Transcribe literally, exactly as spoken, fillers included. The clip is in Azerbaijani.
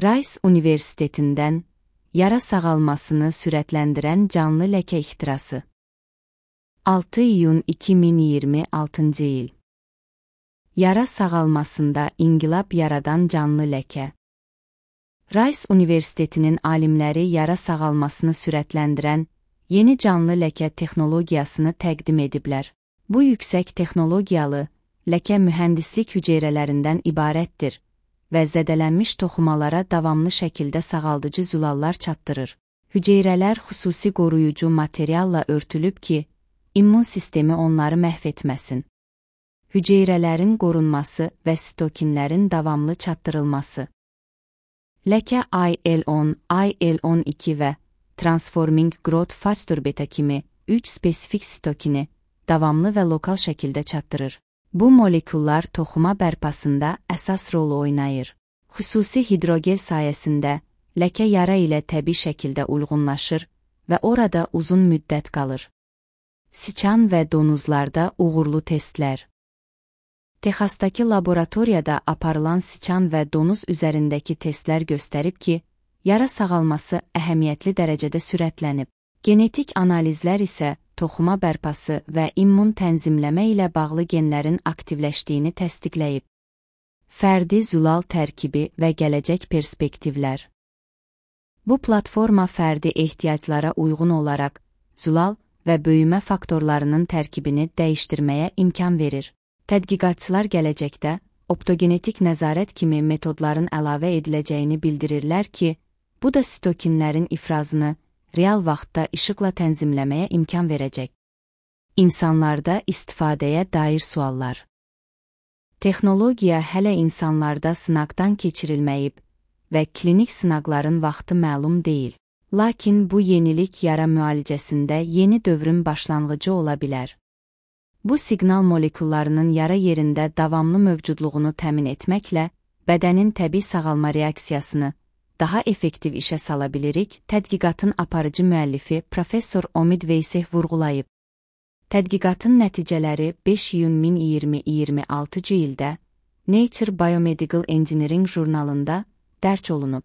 Rice Universitetindən yara sağalmasını sürətləndirən canlı ləkə ixtirası. altı iyun iki min iyirmi altıncı il. Yara sağalmasında inqilab yaradan canlı ləkə. Rice Universitetinin alimləri yara sağalmasını sürətləndirən yeni canlı ləkə texnologiyasını təqdim ediblər. Bu yüksək texnologiyalı ləkə mühəndislik hüceyrələrindən ibarətdir və zədələnmiş toxumalara davamlı şəkildə sağaldıcı zülallar çatdırır. Hüceyrələr xüsusi qoruyucu materialla örtülüb ki, immun sistemi onları məhv etməsin. Hüceyrələrin qorunması və sitokinlərin davamlı çatdırılması. Ləkə I L on, I L on iki və Transforming Growth Factor beta kimi üç spesifik sitokini davamlı və lokal şəkildə çatdırır. Bu molekullar toxuma bərpasında əsas rol oynayır. Xüsusi hidrogel sayəsində ləkə yara ilə təbii şəkildə uyğunlaşır və orada uzun müddət qalır. Siçan və donuzlarda uğurlu testlər. Texasdakı laboratoriyada aparılan siçan və donuz üzərindəki testlər göstərib ki, yara sağalması əhəmiyyətli dərəcədə sürətlənib. Genetik analizlər isə toxuma bərpası və immun tənzimləmə ilə bağlı genlərin aktivləşdiyini təsdiqləyib. Fərdi zülal tərkibi və gələcək perspektivlər. Bu platforma fərdi ehtiyaclara uyğun olaraq zülal və böyümə faktorlarının tərkibini dəyişdirməyə imkan verir. Tədqiqatçılar gələcəkdə optogenetik nəzarət kimi metodların əlavə ediləcəyini bildirirlər ki, bu da sitokinlərin ifrazını real vaxtda işıqla tənzimləməyə imkan verəcək. İnsanlarda istifadəyə dair suallar. Texnologiya hələ insanlarda sınaqdan keçirilməyib və klinik sınaqların vaxtı məlum deyil. Lakin bu yenilik yara müalicəsində yeni dövrün başlanğıcı ola bilər. Bu siqnal molekullarının yara yerində davamlı mövcudluğunu təmin etməklə bədənin təbii sağalma reaksiyasını daha effektiv işə sala bilirik, tədqiqatın aparıcı müəllifi Professor Omid Veyseh vurğulayıb. Tədqiqatın nəticələri beş iyun min iyirmi altıncı ildə Nature Biomedical Engineering jurnalında dərc olunub.